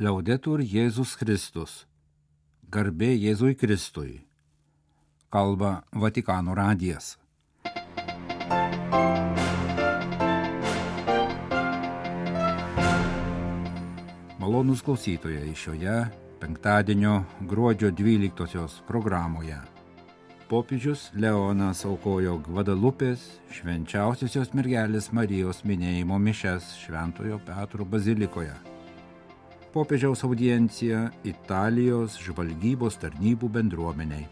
Liaudetur Jėzus Kristus. Garbė Jėzui Kristui. Kalba Vatikano radijas. Malonūs klausytojai šioje penktadienio gruodžio 12 programoje. Popiežius Leonas aukojo Gvadalupės švenčiausiosios mergelės Marijos minėjimo mišias Šventojo Petro bazilikoje. Popiežiaus audiencija Italijos žvalgybos tarnybų bendruomeniai.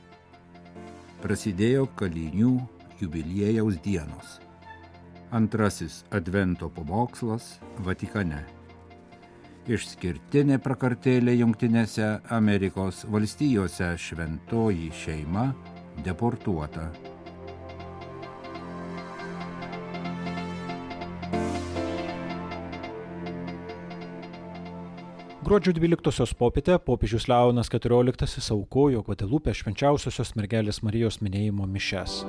Prasidėjo kalinių jubiliejaus dienos. Antrasis advento pamokslas Vatikane. Išskirtinė prakartėlė Jungtinėse Amerikos valstijose šventoji šeima deportuota. Gruodžio 12 popietę popiežius Leonas XIV aukojo Gvadelupės švenčiausiosios mergelės Marijos minėjimo mišias.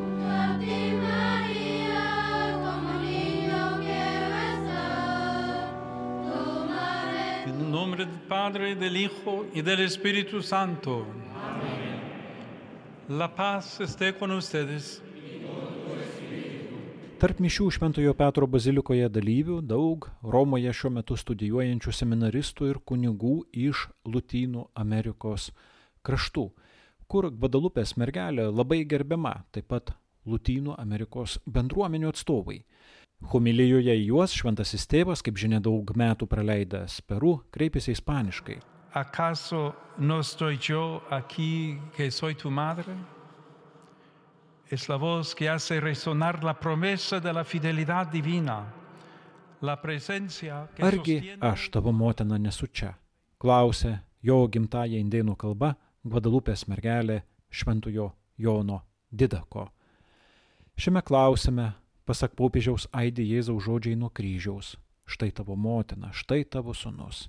En nombre del Padre, del Hijo y del Espíritu Santo. Amén. La paz esté con ustedes. Tarp mišių Šventojo Petro bazilikoje dalyvių daug Romoje šiuo metu studijuojančių seminaristų ir kunigų iš Lotynų Amerikos kraštų, kur Gvadalupės mergelė labai gerbiama, taip pat Lotynų Amerikos bendruomenių atstovai. Homilijoje į juos šventasis tėvas, kaip žinia, daug metų praleidęs Peru, kreipėsi ispaniškai. ¿Acaso no estoy yo aquí que soy tu madre? Es la voz que hace resonar la promesa de la fidelidad divina, la presencia que Argi sostiene... aš tavo motina nesu čia? Klausė jo gimtąja indėnų kalba Gvadalupės mergelė Šventojo Jono Didako. Šiame klausime, pasak popiežiaus, aidi Jėzaus žodžiai nuo kryžiaus. Štai tavo motina, štai tavo sūnus.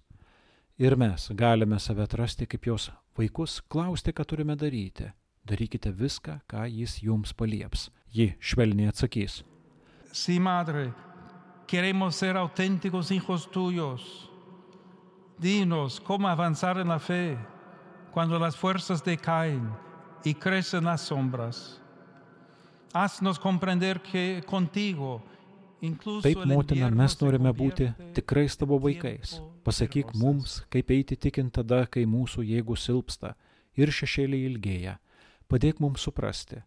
Ir mes galime save atrasti kaip jos vaikus, klausti, ką turime daryti. Darykite viską, ką jis jums palieps. Ji švelniai atsakys. Sí, madre, queremos ser auténticos hijos tuyos. Dinos cómo avanzar en la fe cuando las fuerzas decaen y crecen las sombras. Haznos comprender que contigo, incluso Taip, el motina, invierno mes se norime būti convierte tikrais tavo en vaikais. tiempo de Pasakyk rosas. mums, kaip eiti tikint tada, kai mūsų jėgų silpsta ir šešėliai ilgėja. Padėk mums suprasti,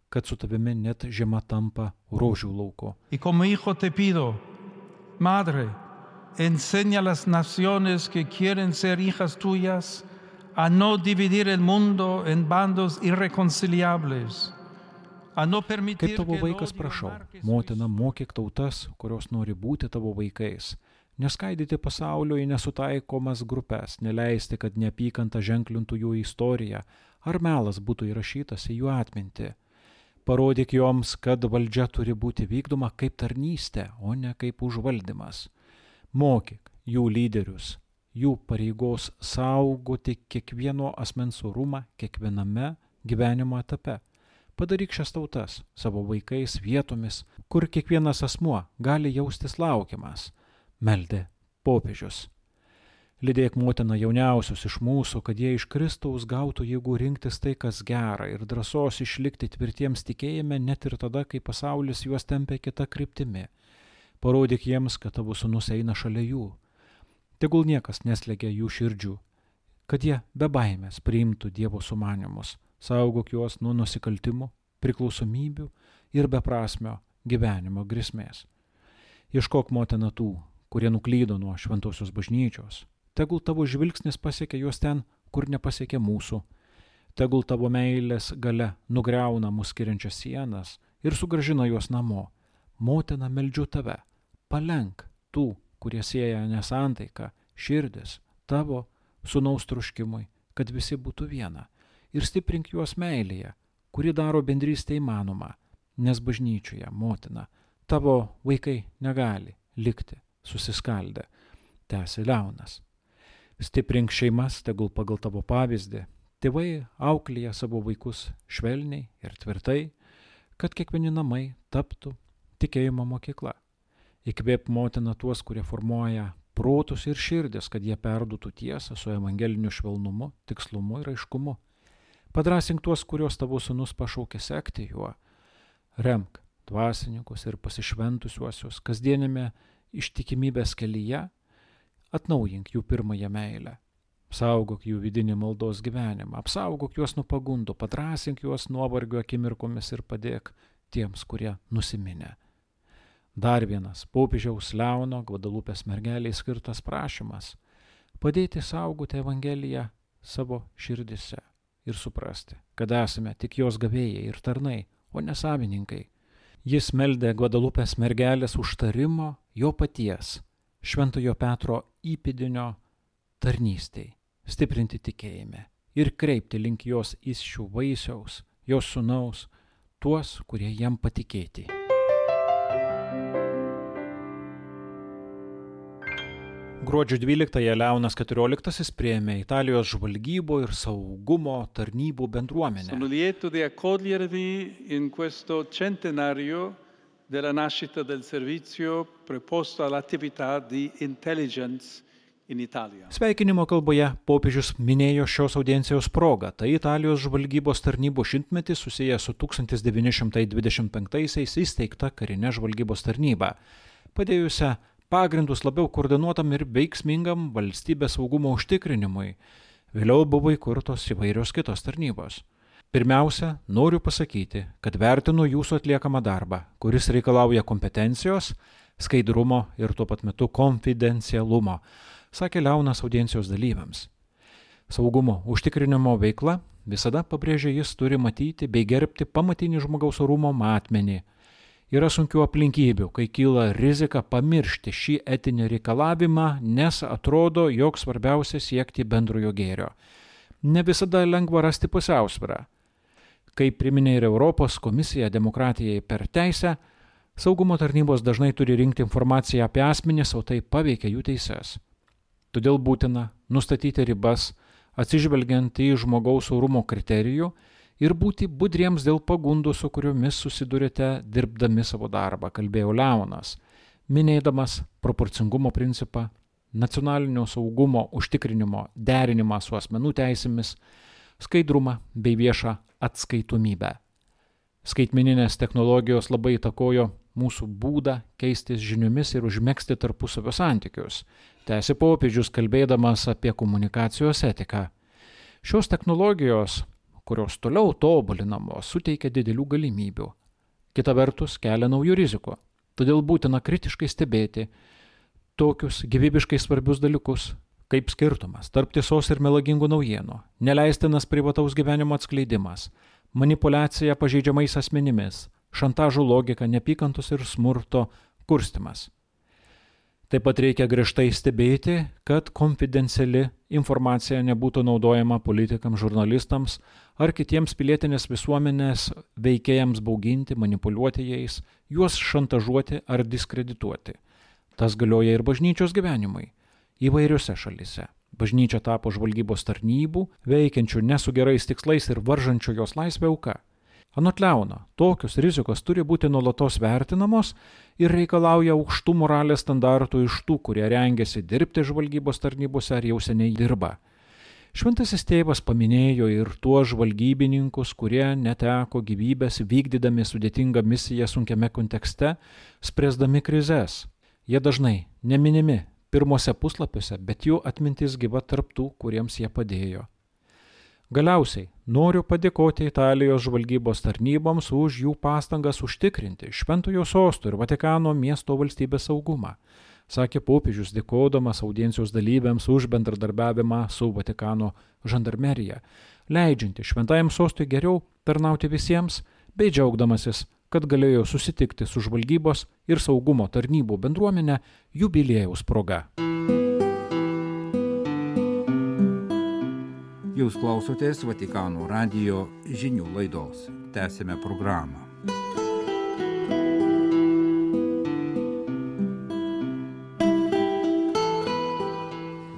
kad su tavimi net žiema tampa rožių lauku. Y como hijo te pido, madre, enseña a las naciones que quieren ser hijas tuyas a no dividir el mundo en bandos irreconciliables, a no permitir Kaip tavo que el vaikas odio prašau, marque su motina, historia. mokyk tautas, kurios nori būti tavo vaikais. Neskaidyti pasaulio į nesutaikomas grupės, neleisti, kad neapykanta ženklintų jų istoriją, ar melas būtų įrašytas į jų atmintį. Parodyk joms, kad valdžia turi būti vykdoma kaip tarnystė, o ne kaip užvaldymas. Mokyk jų lyderius, jų pareigos saugoti kiekvieno asmens orumą kiekviename gyvenimo etape. Padaryk šias tautas savo vaikais vietomis, kur kiekvienas asmuo gali jaustis laukiamas, meldė popiežius. Lydėk motina jauniausius iš mūsų, kad jie iš Kristaus gautų jėgų rinktis tai, kas gera, ir drąsos išlikti tvirtiems tikėjime net ir tada, kai pasaulis juos tempia kita kryptimi. Parodyk jiems, kad tavo sūnus eina šalia jų. Tegul niekas neslegia jų širdžių, kad jie be baimės priimtų Dievo sumanymus. Saugok juos nuo nusikaltimų, priklausomybių ir beprasmio gyvenimo grėsmės. Ieškok, motina, tų, kurie nuklydo nuo šventosios bažnyčios. Tegul tavo žvilgsnis pasiekia juos ten, kur nepasiekia mūsų. Tegul tavo meilės galia nugriauna mus skiriančias sienas ir sugrąžina juos namo. Motina, meldžiu tave, palenk tų, kurie sieja nesantaiką, širdis tavo sūnaus troškimui, kad visi būtų viena, ir stiprink juos meilėje, kuri daro bendrystę įmanomą, nes bažnyčioje, motina, tavo vaikai negali likti susiskaldę, tęsė Leonas. Stiprink šeimas, tegul pagal tavo pavyzdį. Tėvai auklėja savo vaikus švelniai ir tvirtai, kad kiekvieni namai taptų tikėjimo mokykla. Įkvėp, motina, tuos, kurie formuoja protus ir širdis, kad jie perduotų tiesą su evangeliniu švelnumu, tikslumu ir aiškumu. Padrasink tuos, kuriuos tavo sūnus pašaukė sekti juo. Remk dvasininkus ir pasišventusiuosius kasdienėme ištikimybės kelyje, atnaujink jų pirmąją meilę. Apsaugok jų vidinį maldos gyvenimą, apsaugok juos nuo pagundų, padrasink juos nuovargio akimirkomis ir padėk tiems, kurie nusiminę. Dar vienas popiežiaus Leono Gvadalupės mergeliai skirtas prašymas – padėti saugoti Evangeliją savo širdise ir suprasti, kad esame tik jos gavėjai ir tarnai, o ne savininkai. Jis meldė Gvadalupės mergelės užtarimo jo paties, Šventojo Petro įpėdinio tarnystei, stiprinti tikėjime ir kreipti link jos įsčių vaisiaus, jos sūnaus, tuos, kurie jam patikėti. Gruodžio 12-ąją Leonas XIV priėmė Italijos žvalgybo ir saugumo tarnybų bendruomenę. Sono lieto di accogliervi in questo centenario della nascita del servizio preposto all'attività di intelligence in Italia. Sveikinimo kalboje popiežius minėjo šios audiencijos progą. Tai Italijos žvalgybos tarnybų šimtmetis susijęs su 1925-aisiais įsteigta karinė žvalgybos tarnyba, padėjusią pagrindus labiau koordinuotam ir veiksmingam valstybės saugumo užtikrinimui. Vėliau buvo įkurtos įvairios kitos tarnybos. Pirmiausia, noriu pasakyti, kad vertinu jūsų atliekamą darbą, kuris reikalauja kompetencijos, skaidrumo ir tuo pat metu konfidencialumo, sakė Leonas audiencijos dalyviams. Saugumo užtikrinimo veikla visada, pabrėžė jis, turi matyti bei gerbti pamatinį žmogaus orumo matmenį. Yra sunkių aplinkybių, kai kyla rizika pamiršti šį etinį reikalavimą, nes atrodo, jog svarbiausia siekti bendrojo gėrio. Ne visada lengva rasti pusiausvyrą. Kaip priminė ir Europos komisija demokratijai per teisę, saugumo tarnybos dažnai turi rinkti informaciją apie asmenis, o tai paveikia jų teises. Todėl būtina nustatyti ribas, atsižvelgiant į žmogaus orumo kriterijų ir būti budriems dėl pagundų, su kuriomis susidurite dirbdami savo darbą, kalbėjo Leonas, minėdamas proporcingumo principą, nacionalinio saugumo užtikrinimo derinimą su asmenų teisėmis, skaidrumą bei viešą atskaitomybę. Skaitmeninės technologijos labai įtakojo mūsų būdą keistis žiniomis ir užmegzti tarpusavio santykius, tęsė popiežius kalbėdamas apie komunikacijos etiką. Šios technologijos, kurios toliau tobulinamos, suteikia didelių galimybių. Kita vertus, kelia naujų rizikų. Todėl būtina kritiškai stebėti tokius gyvybiškai svarbius dalykus, kaip skirtumas tarp tiesos ir melagingų naujienų, neleistinas privataus gyvenimo atskleidimas, manipuliacija pažeidžiamais asmenimis, šantažo logika, neapykantos ir smurto kurstimas. Taip pat reikia griežtai stebėti, kad konfidenciali informacija nebūtų naudojama politikams, žurnalistams ar kitiems pilietinės visuomenės veikėjams bauginti, manipuliuoti jais, juos šantažuoti ar diskredituoti. Tas galioja ir bažnyčios gyvenimui. Įvairiose šalyse. Bažnyčia tapo žvalgybos tarnybų, veikiančių ne su gerais tikslais ir varžančių jos laisvę auka. Anot Leono, tokios rizikos turi būti nuolatos vertinamos ir reikalauja aukštų moralės standartų iš tų, kurie rengiasi dirbti žvalgybos tarnybose ar jau seniai dirba. Šventasis tėvas paminėjo ir tuos žvalgybininkus, kurie neteko gyvybės vykdydami sudėtingą misiją sunkiame kontekste, spręsdami krizes. Jie dažnai neminimi pirmose puslapiuose, bet jų atmintis gyva tarp tų, kuriems jie padėjo. Galiausiai noriu padėkoti Italijos žvalgybos tarnyboms už jų pastangas užtikrinti Šventojo sosto ir Vatikano miesto valstybės saugumą, sakė popiežius, dėkodamas audiencijos dalyviams už bendradarbiavimą su Vatikano žandarmerija, leidžianti Šventajam sostui geriau tarnauti visiems, bei džiaugdamasis, kad galėjo susitikti su žvalgybos ir saugumo tarnybų bendruomenė jubiliejaus proga. Jūs klausotės Vatikano radijo žinių laidos. Tęsime programą.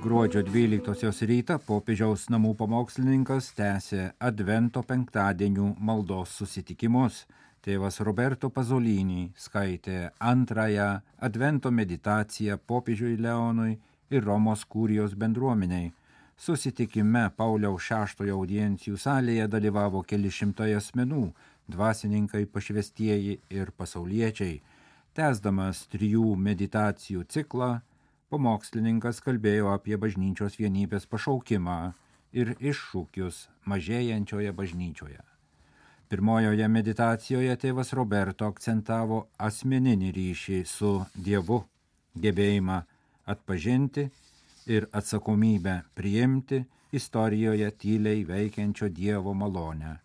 Gruodžio 12 rytą popiežiaus namų pamokslininkas tęsė Advento penktadienių maldos susitikimus. Tėvas Roberto Pasolini skaitė antrąją Advento meditaciją popiežiui Leonui ir Romos kurijos bendruomeniai. Susitikime Pauliaus VI audiencijų salėje dalyvavo keli šimtai asmenų, dvasininkai, pašvestieji ir pasauliečiai. Tęsdamas 3 meditacijų ciklą, pamokslininkas kalbėjo apie bažnyčios vienybės pašaukimą ir iššūkius mažėjančioje bažnyčioje. Pirmojoje meditacijoje tėvas Roberto akcentavo asmeninį ryšį su Dievu, gebėjimą atpažinti ir atsakomybę priimti istorijoje tyliai veikiančio Dievo malonę.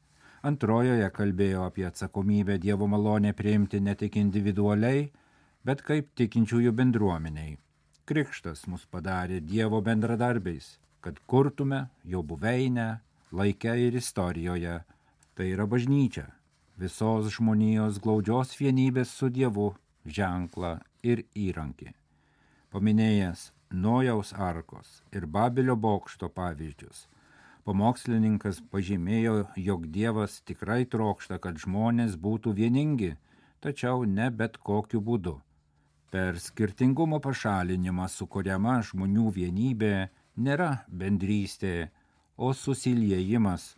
Antrojoje kalbėjo apie atsakomybę Dievo malonę priimti ne tik individualiai, bet kaip tikinčiųjų bendruomeniai. Krikštas mus padarė Dievo bendradarbiais, kad kurtume jo buveinę laike ir istorijoje. Tai yra bažnyčia, visos žmonijos glaudžios vienybės su Dievu ženklą ir įrankį. Paminėjęs Nojaus arkos ir Babelio bokšto pavyzdžius, pamokslininkas pažymėjo, jog Dievas tikrai trokšta, kad žmonės būtų vieningi, tačiau ne bet kokiu būdu. Per skirtingumo pašalinimą sukuriama žmonių vienybė nėra bendrystė, o susiliejimas,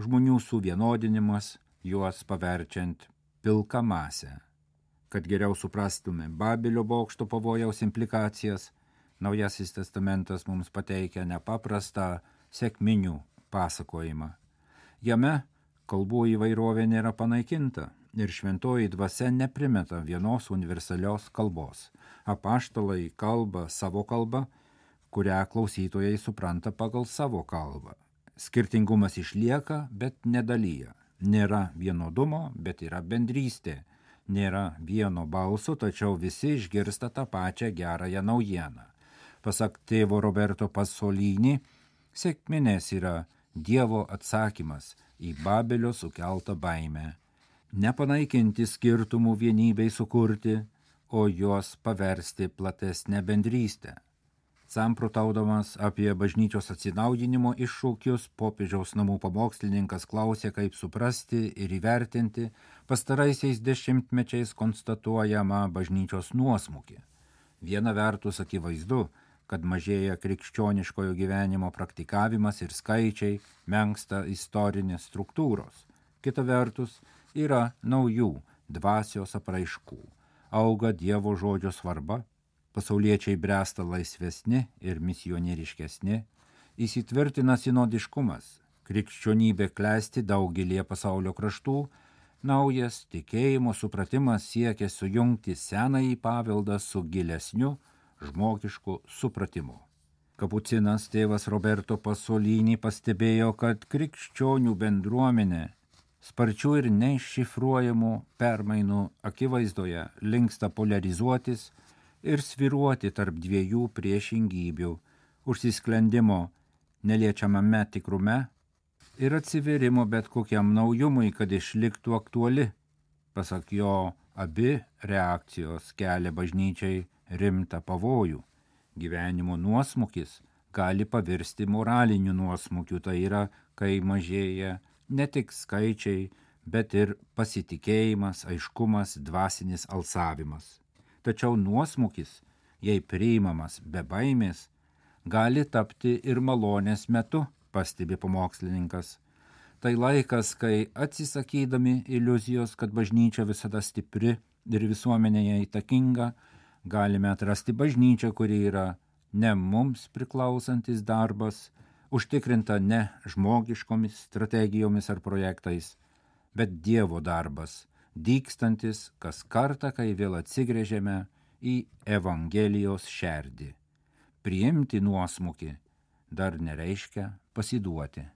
žmonių suvienodinimas, juos paverčiant pilką masę. Kad geriau suprastume Babelio bokšto pavojaus implikacijas, Naujasis testamentas mums pateikia nepaprastą sekminių pasakojimą. Jame kalbų įvairovė nėra panaikinta ir šventoji dvasia neprimeta vienos universalios kalbos. Apaštalai kalba savo kalbą, kurią klausytojai supranta pagal savo kalbą. Skirtingumas išlieka, bet nedalyja. Nėra vienodumo, bet yra bendrystė. Nėra vieno balso, tačiau visi išgirsta tą pačią gerąją naujieną. Pasak tėvo Roberto Pasolini, sekminės yra Dievo atsakymas į Babelio sukeltą baimę. Nepanaikinti skirtumų vienybei sukurti, o juos paversti platesnę bendrystę. Samprotaudamas apie bažnyčios atsinaujinimo iššūkius, popiežiaus namų pamokslininkas klausė, kaip suprasti ir įvertinti pastaraisiais dešimtmečiais konstatuojamą bažnyčios nuosmukį. Viena vertus akivaizdu, kad mažėja krikščioniškojo gyvenimo praktikavimas ir skaičiai, menksta istorinės struktūros. Kita vertus yra naujų dvasios apraiškų. Auga Dievo žodžio svarba, pasauliečiai bręsta laisvesni ir misionieriškesni, įsitvirtina sinodiškumas, krikščionybė klesti daugelį pasaulio kraštų, naujas tikėjimo supratimas siekia sujungti senąjį paveldą su gilesniu žmogišku supratimu. Kapucinas tėvas Roberto Pasolini pastebėjo, kad krikščionių bendruomenė sparčių ir neiššifruojamų permainų akivaizdoje linksta polarizuotis ir svyruoti tarp dviejų priešingybių – užsisklendimo neliečiamame tikrume ir atsivėrimo bet kokiam naujumui, kad išliktų aktuali. Pasak jo, abi reakcijos kelia bažnyčiai rimtą pavojų. Gyvenimo nuosmukis gali pavirsti moraliniu nuosmukiu, tai yra, kai mažėja ne tik skaičiai, bet ir pasitikėjimas, aiškumas, dvasinis alsavimas. Tačiau nuosmukis, jei priimamas be baimės, gali tapti ir malonės metu, pastebi pamokslininkas. Tai laikas, kai atsisakydami iliuzijos, kad bažnyčia visada stipri ir visuomenėje įtakinga, galime atrasti bažnyčią, kuri yra ne mums priklausantis darbas, užtikrinta ne žmogiškomis strategijomis ar projektais, bet Dievo darbas, dygstantis kas kartą, kai vėl atsigręžiame į Evangelijos šerdį. Priimti nuosmukį dar nereiškia pasiduoti.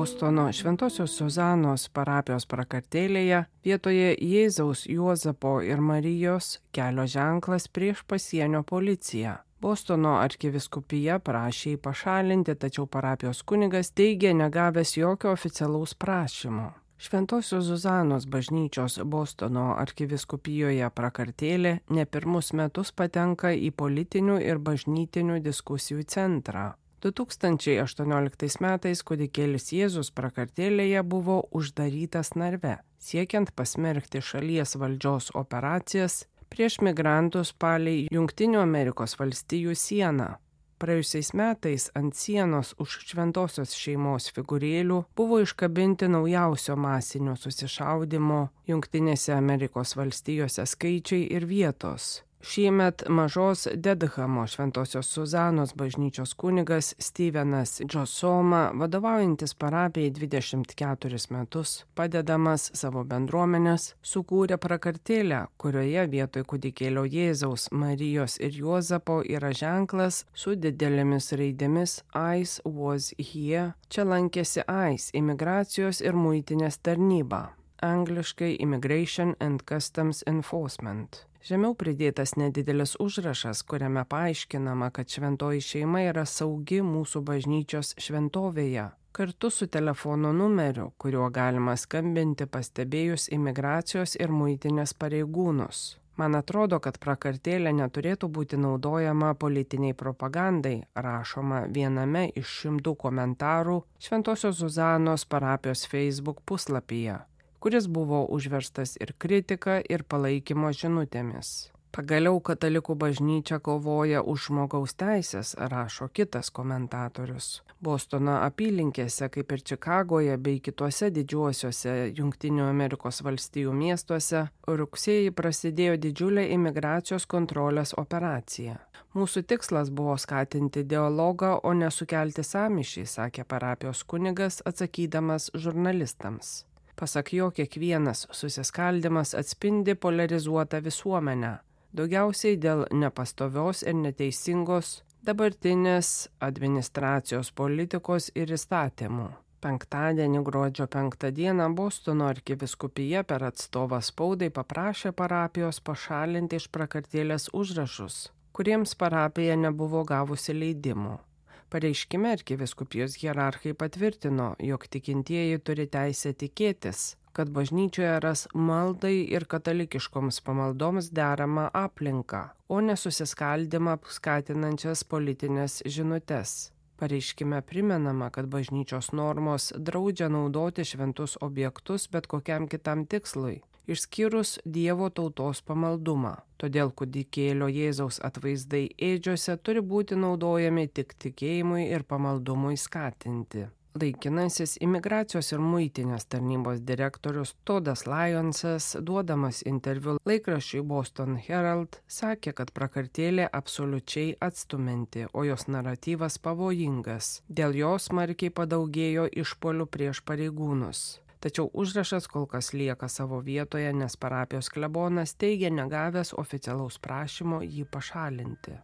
Bostono Šventosios Suzanos parapijos prakartėlėje vietoje Jėzaus, Juozapo ir Marijos kelio ženklas prieš pasienio policiją. Bostono arkivyskupija prašė jį pašalinti, tačiau parapijos kunigas teigė negavęs jokio oficialaus prašymo. Šventosios Zuzanos bažnyčios Bostono arkiviskupijoje prakartėlė ne pirmus metus patenka į politinių ir bažnytinių diskusijų centrą. 2018 metais kūdikėlis Jėzus prakartėlėje buvo uždarytas narve, siekiant pasmerkti šalies valdžios operacijas prieš migrantus palei Jungtinių Amerikos valstijų sieną. Praėjusiais metais ant sienos už šventosios šeimos figūrėlių buvo iškabinti naujausio masinio susišaudymo Jungtinėse Amerikos valstijose skaičiai ir vietos. Šiemet mažos Dedhamo Šventosios Zuzanos bažnyčios kunigas Stevenas Džosoma, vadovaujantis parapijai 24 metus, padedamas savo bendruomenės, sukūrė prakartėlę, kurioje vietoj kūdikėlio Jėzaus, Marijos ir Juozapo yra ženklas su didelėmis raidėmis "Ice was here". Čia lankėsi ICE, imigracijos ir muitinės tarnyba, angliškai Immigration and Customs Enforcement. Žemiau pridėtas nedidelis užrašas, kuriame paaiškinama, kad šventoji šeima yra saugi mūsų bažnyčios šventovėje, kartu su telefono numeriu, kuriuo galima skambinti pastebėjus imigracijos ir muitinės pareigūnus. Man atrodo, kad prakartėlė neturėtų būti naudojama politiniai propagandai, rašoma viename iš 100 komentarų Šventosios Zuzanos parapijos Facebook puslapyje, kuris buvo užverstas ir kritika, ir palaikymo žinutėmis. Pagaliau katalikų bažnyčia kovoja už žmogaus teisės, rašo kitas komentatorius. Bostono apylinkėse, kaip ir Čikagoje bei kituose didžiuosiuose Jungtinių Amerikos valstijų miestuose, rugsėjį prasidėjo didžiulė imigracijos kontrolės operacija. Mūsų tikslas buvo skatinti dialogą, o ne sukelti sąmyšį, sakė parapijos kunigas, atsakydamas žurnalistams. Pasak jo, kiekvienas susiskaldimas atspindi polarizuotą visuomenę, daugiausiai dėl nepastovios ir neteisingos dabartinės administracijos politikos ir įstatymų. Penktadienį gruodžio 5 dieną Bostono arkiviskupija per atstovą spaudai paprašė parapijos pašalinti iš prakartėlės užrašus, kuriems parapija nebuvo gavusi leidimų. Pareiškime arkiviskupijos hierarchai patvirtino, jog tikintieji turi teisę tikėtis, kad bažnyčioje ras maldai ir katalikiškoms pamaldoms deramą aplinką, o ne susiskaldimą skatinančias politinės žinutes. Pareiškime primenama, kad bažnyčios normos draudžia naudoti šventus objektus bet kokiam kitam tikslui, išskyrus Dievo tautos pamaldumą. Todėl kūdikėlio Jėzaus atvaizdai ėdžiose turi būti naudojami tik tikėjimui ir pamaldumui skatinti. Laikinasis imigracijos ir muitinės tarnybos direktorius Todas Lyonsas, duodamas interviu laikraščiui Boston Herald, sakė, kad prakartėlė absoliučiai atstumianti, o jos naratyvas pavojingas. Dėl jos smarkiai padaugėjo išpuolių prieš pareigūnus. Tačiau užrašas kol kas lieka savo vietoje, nes parapijos klebonas teigia negavęs oficialaus prašymo jį pašalinti.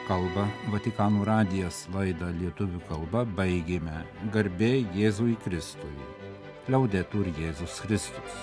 Kalba Vatikano radijas, laidą lietuvių kalba baigėme. Garbė Jėzui Kristui. Liaudetur Jėzus Kristus.